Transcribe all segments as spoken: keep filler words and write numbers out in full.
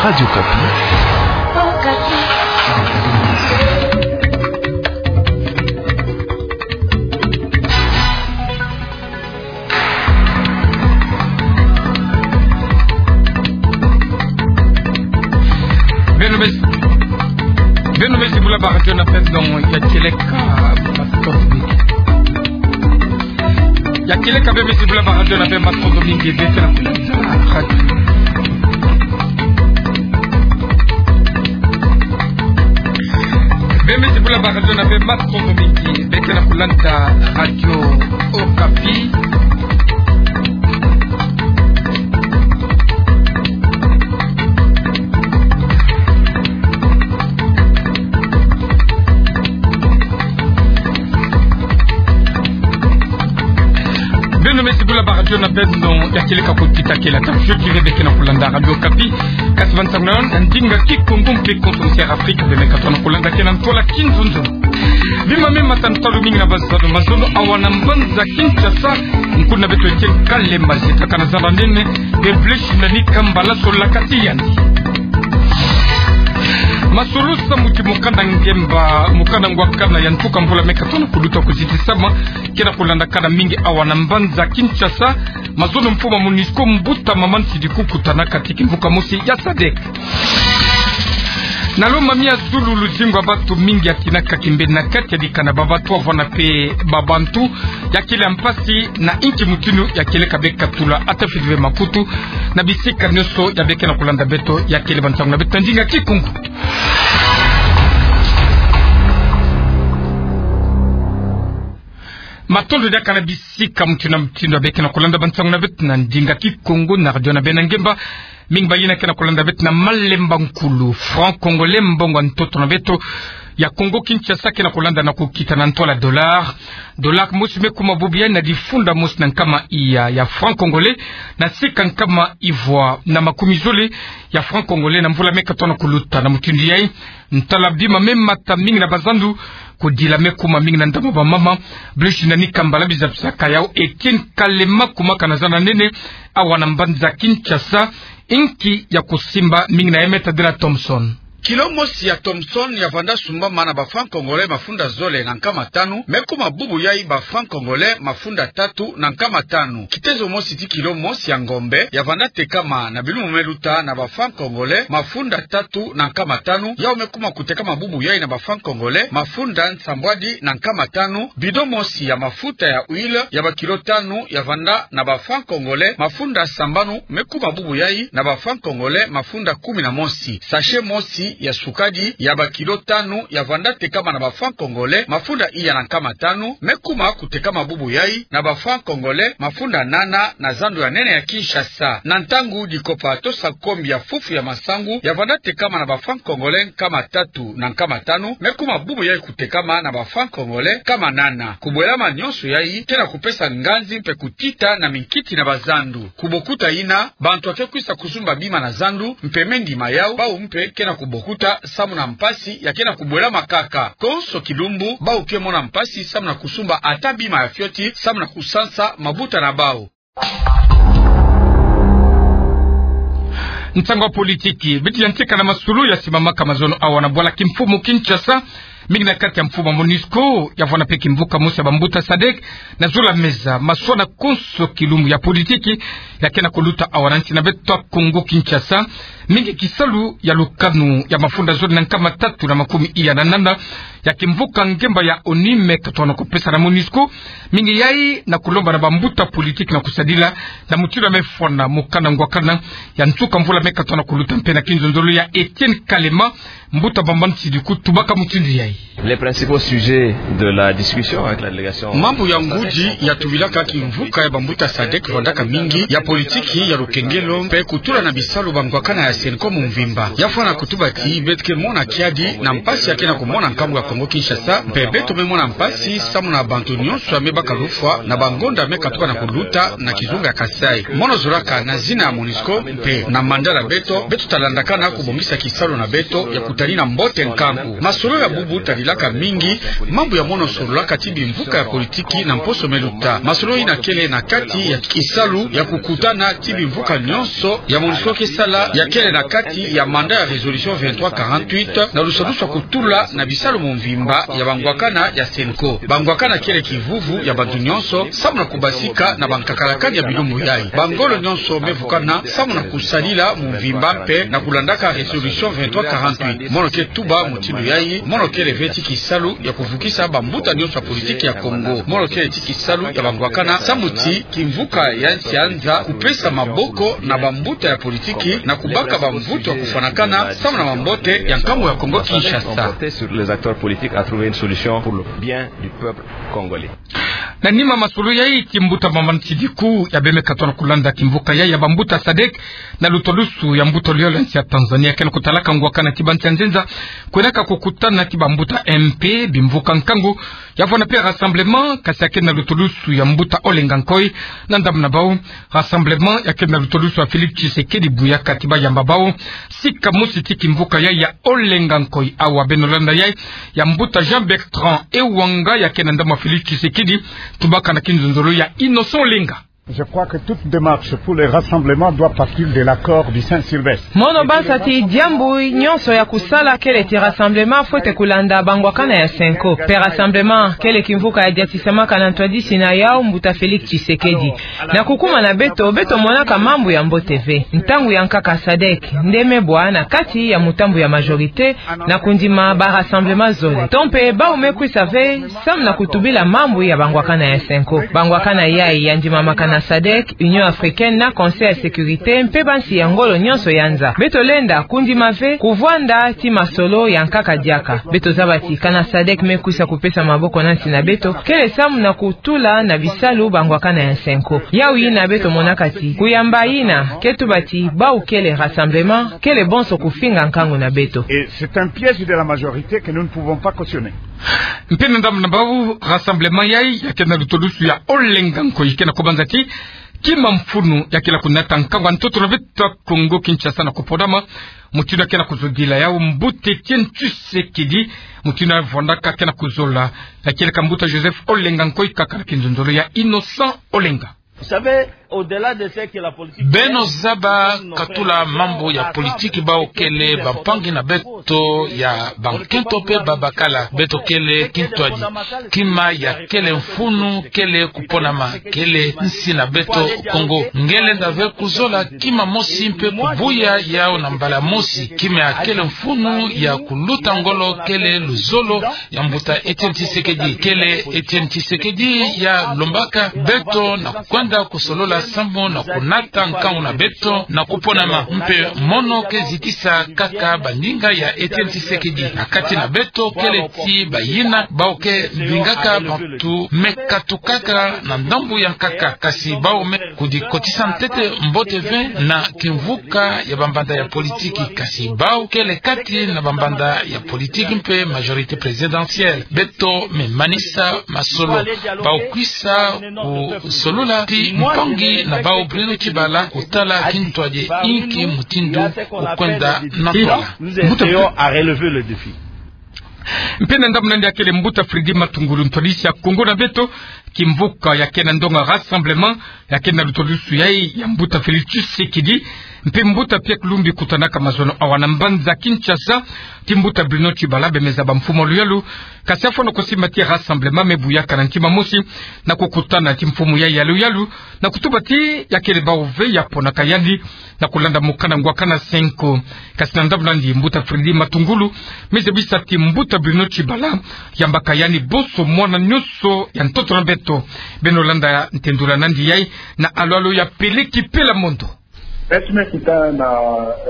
Radio Okapi. Beno me si, beno me si bula ba radio na pep donc ya kieleka, ya kieleka beno me si bula ba radio na pep, matondo mingi beno kena kulanda radio. Beno me si bula ba radio na pep, matondo mingi beno kena kulanda Radio Okapi. Beno me si bula ba radio na beno ya kieleka, kuti ta kieleka, fioti beno kena kulanda Radio Okapi, kati bansangu na ndinga Kikongo mpe konso nsi ya Afrika, beno me katuka na kulanda kena ntwala kinzonzolo. Bima me mata, ntalu mingi na bazando, mazono awa na mbanza Kinshasa, nkuna beto Etienne Kalema, zita kana zaba nene, de bleshi na nika mbala sola kati yandi. Masolo samu ti mokanda ngemba, mokanda ngwakana ya ntuka mvula me katuka na kuluta kuzitisama, kena kulanda kana mingi awa na mbanza Kinshasa, mazono mfumu MONUSCO mbuta Maman Sidi kukutana kati kimvuka mosi ya sadek. Na lo mamia zulu luzingu ya bantu mingi ya tinaka kimbeni na kati ya dikanda ba bantu, avwanda mpe ba bantu, ya kele mpasi na inki mutinu ya kieleka, beno katula ata fiti ve makutu na bisika nyonso ya beno kena kulanda beto ya kele bansangu na beto na ndinga Kikongo. Matondo diaka na bisika mutinu na mutinu ya beno kena kulanda bansangu na beto na ndinga Kikongo na radio na beno ya ngemba. Mingi bayina kena kulanda beto na malemba nkulu, franc congolais, mbongo ya ntoto na beto ya Kongo Kinshasa, kena kulanda na kukita na ntwala dollar. Dollar mosi me kuma bubu yayi na difunda mosi na nkama iya ya franc congolais, na sika nkama ivwa na makumi zole ya franc congolais na mvula me katuka na kuluta. Na mutindu yayi, ntala bima me mata mingi na bazando, kudila me kuma mingi na ndambu ya bamama. Bleshi na nika mbala, biza bisaka yau Etienne Kalema, kuma kana zana nene awa na mbanza Kinshasa, inki ya kusimba mingi na ya me tadila Thomson. Kilo mosi ya Thomson ya vanda sumbama na ba franc congolais mafunda zole na nkama tanu, me kuma bubu yayi ba franc congolais mafunda tatu na nkama tanu. Kitezo mosi ti kilo mosi ya ngombe ya vanda tekama na bilumbu me luta na ba franc congolais mafunda tatu na nkama tanu, yau me kuma kutekama bubu yayi na ba franc congolais mafunda nsambwadi na nkama tanu. Bidon mosi ya mafuta ya huile ya ba kilo tanu ya vanda na ba franc congolais mafunda sambanu, me kuma bubu yayi na ba franc congolais mafunda kumi na mosi. Sachet mosi ya sukadi ya ba kilo tanu ya vanda tekama na ba franc congolais mafunda iya na nkama tanu, me kuma kutekama bubu yayi na ba franc congolais mafunda nana na zandu ya nene ya Kinshasa. Na ntangu dikopa to sakombi ya fufu ya masangu ya vanda tekama na ba franc congolais nkama tatu na nkama tanu, me kuma bubu yayi kutekama na ba franc congolais nkama nana. Kubwelama nyonso yayi kena kupesa nganzi mpe kutita na minkiti na bazando. Kubokuta yina, bantu ake kwisa kusumba bima na zandu, mpe me ndima yau, bau mpe kena kubokuta samu na mpasi ya kena kubwelama kaka. Konso kilumbu, bau ke mona mpasi samu na kusumba ata bima ya fioti samu na kusansa mabuta na bau. Nsangu ya politiki. Beti yantika na masolo ya simamaka mazono awa na bwala kimfumu Kinshasa, mingi na kati ya mfumu ya MONUSCO, ya vwanda mpe kimvuka mosi ya bambuta sadek, na zola meza, maswala konso kilumbu ya politiki ya kena kuluta awa na nsi na beto Kongo Kinshasa, mingi kisalu ya lukanu ya mafunda zole na nkama tatu na makumi iya na nana ya kimvuka ngemba ya ONU me katona kupesa na MONUSCO, mingi yayi na kulomba na bambuta politiki na kusadila na mutindu ya me fwana mokanda ngwakana ya nsuka mvula me katona kuluta mpe na kinzonzolo ya Etienne Kalema, mbuta Bamba Nsidiku tubaka mutindu yayi. Les principaux sujets de la discussion avec la délégation. Mambu ya ngudi ya tubilaka kimvuka ya bambuta sadek vandaka mingi ya politiki, ya lukengelo, mpe kutula na bisalu bangwakana ya CENCOM mvimba. Ya fwana kutuba ti beto ke mona kiadi na mpasi ya kena kumona nkambu ya Kongo Kinshasa, mpe beto me mona mpasi samu na bantu nyonso ya me baka lufwa na bangonda me katuka na kuluta na kizunga ya Kasaï. Mono zolaka na zina ya MONUSCO mpe na mandat na beto, beto talandaka na kubongisa kisalu na beto ya kutalina mbote nkangu. Masolo ya bubu sadilaka mingi mambu ya mono sololaka ti bimvuka ya politiki na mposo me luta. Masolo ina kele na kati ya kisalu ya kukutana ti bimvuka nyonso ya MONUSCO ke sala, ya kele na kati ya mandat ya résolution vingt-trois quarante-huit, na lusadusu ya kutula na bisalu mu mvimba ya bangwakana ya CENCO. Bangwakana kele kivuvu ya bantu nyonso, samu na kubasika na bankakalakani ya bilumbu yai. Bangolo nyonso me vukana samu na kusadila mu mvimba mpe na kulandaka résolution vingt-trois quarante-huit. Mono ke tuba mutindu yai, mono kele ve ti kisalu ya kuvukisa bambuta nyonso ya politiki ya Kongo. Mono kele ti kisalu ya bangwakana samu ti kimvuka ya nsi ya nza kupesa maboko na bambuta ya politiki na kubaka bamvutu ya kufwanakana samu na mambote ya nkangu ya Kongo Kinshasa. Sur les acteurs politiques à trouver une solution pour le bien du peuple congolais. Na nima masolo yai, ti mbuta Maman Sidiku ya bemeka tona kulanda kimvuka yai ya bambuta sadek na lutwadusu ya mbuta luyolo ya nsi ya Tanzania, ke na kutalaka ngwakana ti bansi ya nzenza kwendaka kukutana ti bambuta M P, bimvuka nkangu, ya vwanda mpe rassemblement, kasi ya ke na lutwadusu ya mbuta Olenga Nkoy. Na ndambu na bau, rassemblement ya ke na lutwadusu ya Félix Tshisekedi bu ya kati ba yamba bau sika mosi ti kimvuka yai ya Olenga Nkoy. Awa beno landa yai ya mbuta Jean Bertrand Ewanga, ya ke na ndambu ya Félix Tshisekedi, tubaka na kinzonzolo ya Innocent Olenga. Je crois que toute démarche pour le rassemblement doit partir de l'accord du Saint-Sylvestre. Mono basa ti diambu nyonso ya kusala kele ti rassemblement fwete kulanda bangwakana ya CENCO. Mpe rassemblement kele kimvuka ya diatisamaka na ntwadisi na yau mbuta Félix Tshisekedi. Na kukuma na beto, beto monaka mambu ya mbote ve. Ntangu ya nkaka sadek nde me bwa na kati ya mutambu ya majorité na kundima ba rassemblement zole. To mpe bau me kwisa ve samu na kutubila mambu ya bangwakana ya CENCO. Bangwakana yai ya ndimamaka na sadek, Union Africaine na Conseil ya Sécurité mpe bansi ya ngolo nyonso ya nza. Beto lenda kundima ve kuvwanda ti masolo ya nkaka diaka. Beto zaba ti kana sadek me kwisa kupesa maboko na nsi na beto, kele samu na kutula na bisalu bangwakana ya CENCO. Yau yina beto monaka ti kuyamba yina ke tuba ti bau kele rassemblement, kele bonso kufinga nkangu na beto. Et c'est un piège de la majorité que nous ne pouvons pas cautionner. Mpe na ndambu na bau, rassemblement yai ya ke na lutwadusu ya Olenga Nkoy ke na kubanza ti kima mfunu ya kele kunata nkangu ya ntoto na beto Kongo Kinshasa na kuponama, mutindu ya ke na kuzodila yau mbuta Etienne Tshisekedi, mutindu ya vwandaka ke na kuzola, ya kele ka mbuta Joseph Olenga Nkoy kaka na kinzonzolo ya Innocent Olenga. Vous savez, au-delà de ce que la politique... Beno zaba, katula mambu ya politiki, bau kele bampangi na beto ya bankento mpe babakala. Beto kele kintwadi. Kima ya kele mfunu kele kuponama, kele nsi na beto Kongo. Nge lenda ve kuzola kima mosi mpe kubuya yau na mbala mosi. Kima ya kele mfunu ya kuluta ngolo kele luzolo ya mbuta Etienne Tshisekedi. Kele Etienne Tshisekedi ya lombaka beto na kwenda kusolola samu na kunata nkangu na beto na kuponama. Mpe mono ke zitisa kaka baninga ya Etienne Tshisekedi na kati na beto, kele ti bayina bau ke mbingaka bantu me katukaka na ndambu ya nkaka, kasi bau me kudikotisa ntete mbote ve na kimvuka ya bambanda ya politiki, kasi bau kele kati na bambanda ya politiki mpe majorité présidentielle. Beto me manisa masolo. Bau kwisa kusolola ti mpangi na bau Bruno Tshibala kutala kintwadi inki mutindu kukwenda na tola. Nous essayons à relever le défi. Mpe na ndambu na yandi ya kele mbuta Freddy Matungulu, ntwadisi ya Kongo na beto, kimvuka ya ke na ndonga rassemblement ya ke na lutwadusu yai ya mbuta Félix Tshisekedi mpe mbuta Pierre Lumbi kutanaka mazono awa na mbanza Kinshasa ti mbuta Bruno Tshibala, bemeza bamfumu ya luyalu, kasi ya fwana kusimba ti rassemblement me buyaka na ntima mosi na kukutana ti mfumu yai ya luyalu, na kutuba ti ya kele bau ve ya ponaka yandi na kulanda mukana ngwakana CENCO. Kasi na ndambu na yandi, mbuta Freddy Matungulu me zabisa ti mbuta Bruno Tshibala yambaka yandi bonso mwana nyonso ya ntoto na beto. Beno landa ntendula na yandi yai na alo-alo ya Peleki Pela Mondo. Beto me kutana na,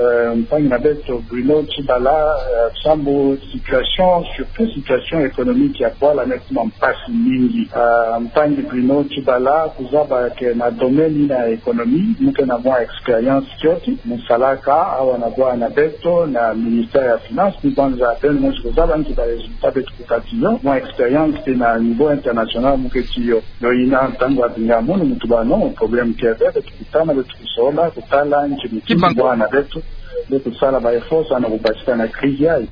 eh, mpangi na beto Bruno Tshibala, eh, sambu situation, surtout situation économique ya bwala me kuma mpasi mingi. Eh, mpangi Bruno Tshibala, kuzaba ke na domaine yina ya économie, mu ke na mwa expérience kioti, mu salaka awa na bwala na beto na ministère ya finance, ni banza beno mosi kuzaba nki ba résultat beto kukati yo, mwa expérience mpe na niveau international mu ke ti yo. Yo yina ntangu abinga munu mu tuba non, problème ke ve, beto kutana, beto kusola, kutala nki mutindu bwala na beto, beto kusala ba efforts samu na kubasika na crise yai.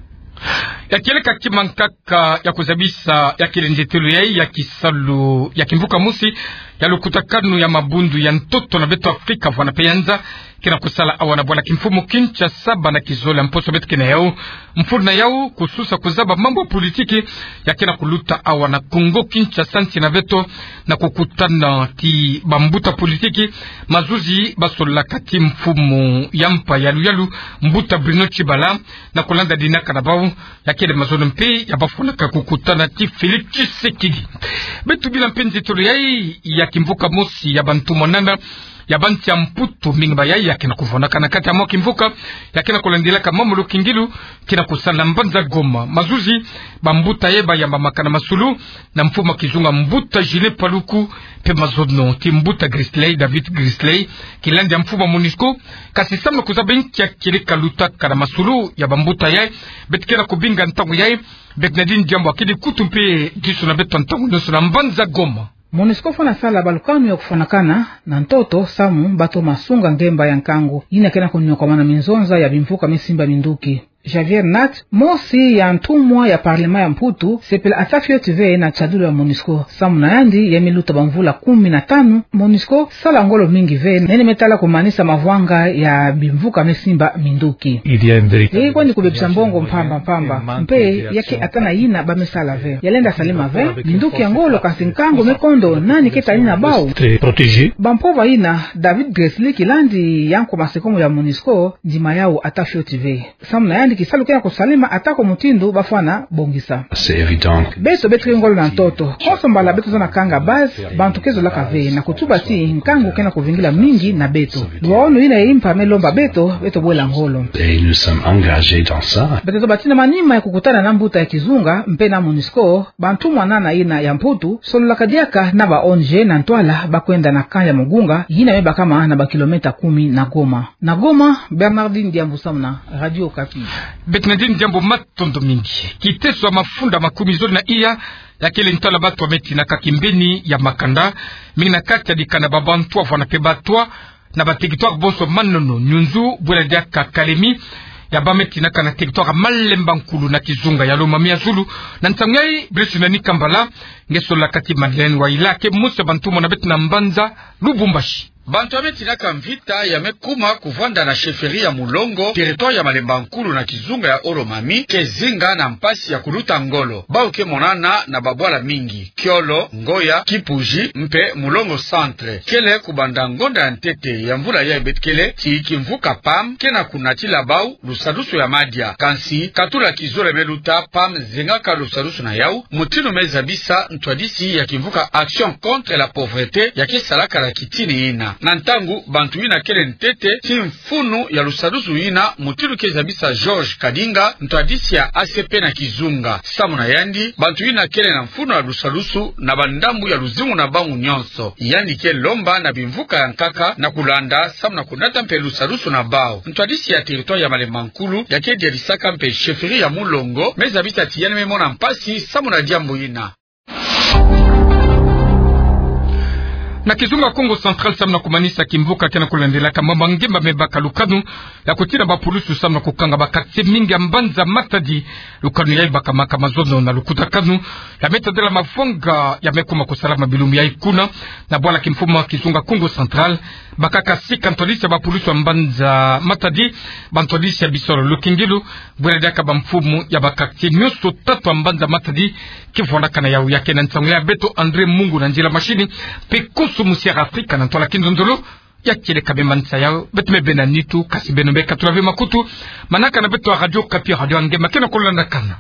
Ya kieleka kima nkaka ya kuzabisa ya kile nzetelo yai ya kisalu ya kimvuka mosi ya lukutakanu ya mabundu ya ntoto na beto Afrika vwana pe ya nza, kina kusala awa na bwala kimfumu Kinshasa bana kizole ya mposo beto kina yau. Mfunu na yau kususa kuzaba mambu ya politiki ya kina kuluta awa na Kongo Kinshasa nsi na beto, na kukutana ti bambuta politiki, mazuzi basolaka ti mfumu ya mpa ya luyalu, mbuta Bruno Tshibala, na kulanda dinaka na bau, ya kele mazono mpe ya bafwanaka kukutana ti Félix Tshisekedi. Beto bila mpe nzetolo yai ya kimvuka mosi ya bantu mwanana ya bansi ya Mputu, mingi ba yai ya kina kuvwanaka na kati ya mwa kimvuka ya kina kulandilaka mambu ya lukingilu, kina kusala na mbanza Goma. Mazuzi bambuta yai bayambamaka na masulu na mfumu ya kizunga mbuta Julien Paluku, mpe mazono ti mbuta Grisley, David Grisley, kilandi ya mfumu ya MONUSCO. Kasi samu na kuzaba nkia kieleka lutaka na masulu ya bambuta yai, beto kena kubinga ntangu yai. Bernardine Diambu akedi kutu mpe disu na beto ntangu nionso na mbanza Goma. MONUSCO fwana sala balukanu ya kufwanakana na ntoto samu bato masunga ngemba ya nkangu yina kena kuniokamana minzonza ya bimvuka mesimba minduki. Javier Nat, mosi ya ntumwa ya parlement ya Mputu, sepela ata fioti ve na tiadulu ya MONUSCO. Samu na yandi, ya me luta bamvula kumi na tanu, MONUSCO sala ngolo mingi ve nene me tala kumanisa mavwanga ya bimvuka mesimba minduki. Yai kwandi kubebisa mbongo mpamba mpamba, mpe ya ke ata na yina ba me sala ve. Ya lenda salama ve minduki ya ngolo, kasi nkangu me kondo nani ke tani na bau? Bampova yina, David Grisley kilandi ya nkoma sekomo ya MONUSCO, ndima yau ata fioti ve. Samu na yandi kisalu kena kusalama ata ko mutindu bafwana bongisa. Beto, beto ke ngolo na ntoto. Konso mbala beto zona kanga base, bantu ke zolaka ve na kutuba ti nkangu kena kuvingila mingi na beto. Lwaono yina ya impa me lomba beto, beto bwela ngolo. Beto zoba ti na manima ya kukutana na mbuta ya kizunga mpe na MONUSCO, bantu mwanana yina ya Mputu sololaka diaka na ba ONG na ntwala ba kwenda na camp ya Mugunga, yina me bakama na ba kilomètre kumi na Goma. Na Goma, Bernardine Diambu samu na Radio Okapi. Bernardine Diambu, matondo mingi. Kiteso ya mafunda makumi zole na iya ya kele ntwala batu ya me tinaka kimbeni ya makanda, mingi na kati ya dikanda Bantwa vwana pe Bantwa, na ba territoire bonso Manono, Nyunzu, bwela diaka Kalemi, ya ba me tinaka na territoire Malemba Nkulu na kizunga ya Lomami ya zulu. Na ntangu yai, Brice Nani Kambala, nge sololaka ti Madeleine Waila, ke mosi ya bantu mona beto na mbanza Lubumbashi. Bantu ya me tinaka mvita ya me kuma kuvanda na chefferie ya Mulongo, territoire ya Malemba Nkulu na kizunga ya Lomami, ke zinga na mpasi ya kuluta ngolo. Bau ke monana na babwala mingi: Kiolo, Ngoya, Kipuji, mpe Mulongo Centre. Kele kubanda ngonda ya ntete ya mvula yai beto kele ti kimvuka PAM kena kunatila bau lusadusu ya madia. Kansi katula kizole me luta, PAM zengaka lusadusu na yau, mutindu me zabisa ntwadisi ya kimvuka Action contre la pauvreté ya ke salaka na kitini yina. Na ntangu bantu yina kele ntete ti mfunu ya lusadusu yina, mutindu ke zabisa Georges Kadinga, ntwadisi ya A C P na kizunga. Samu na yandi, bantu yina kele na mfunu ya lusadusu na bandambu ya luzingu na bau nionso. Yandi ke lomba na bimvuka ya nkaka na kulanda samu na kunata mpe lusadusu na bau. Ntwadisi ya territoire ya Malemba Nkulu, ya ke diadisaka mpe chefferie ya Mulongo, me zabisa ti yandi me mona mpasi samu na diambu yina. Na kizunga Kongo Central, samu na kumanisa kimvuka kena kulandelaka mambu ya ngemba me baka lukanu ya kutina bapulusu samu na kukanga ba quartier mingi ya mbanza Matadi. Lukanu yai bakamaka mazono na lukutakanu ya me tadila mavwanga ya me kuma kusalama bilumbu yai kuna. Na bwala kimfumu ya kizunga Kongo Central, bakaka sika ntwadisi ya bapulusu ya mbanza Matadi, bantwadisi ya bisolo lukingilu, bwela diaka bamfumu ya ba quartier nionso tatu ya mbanza Matadi. Kivwandaka na yau, ya ke na nsangu ya beto André Mungu na nzila machine, mpe Konso Musiara Afrika na ntwala kinzonzolo. Ya kieleka me manisa yau, beto me bena nitu, kasi beno me katula ve makutu. Manaka na beto ya Radio Okapi, radio ya nge, ma kena kulandakana.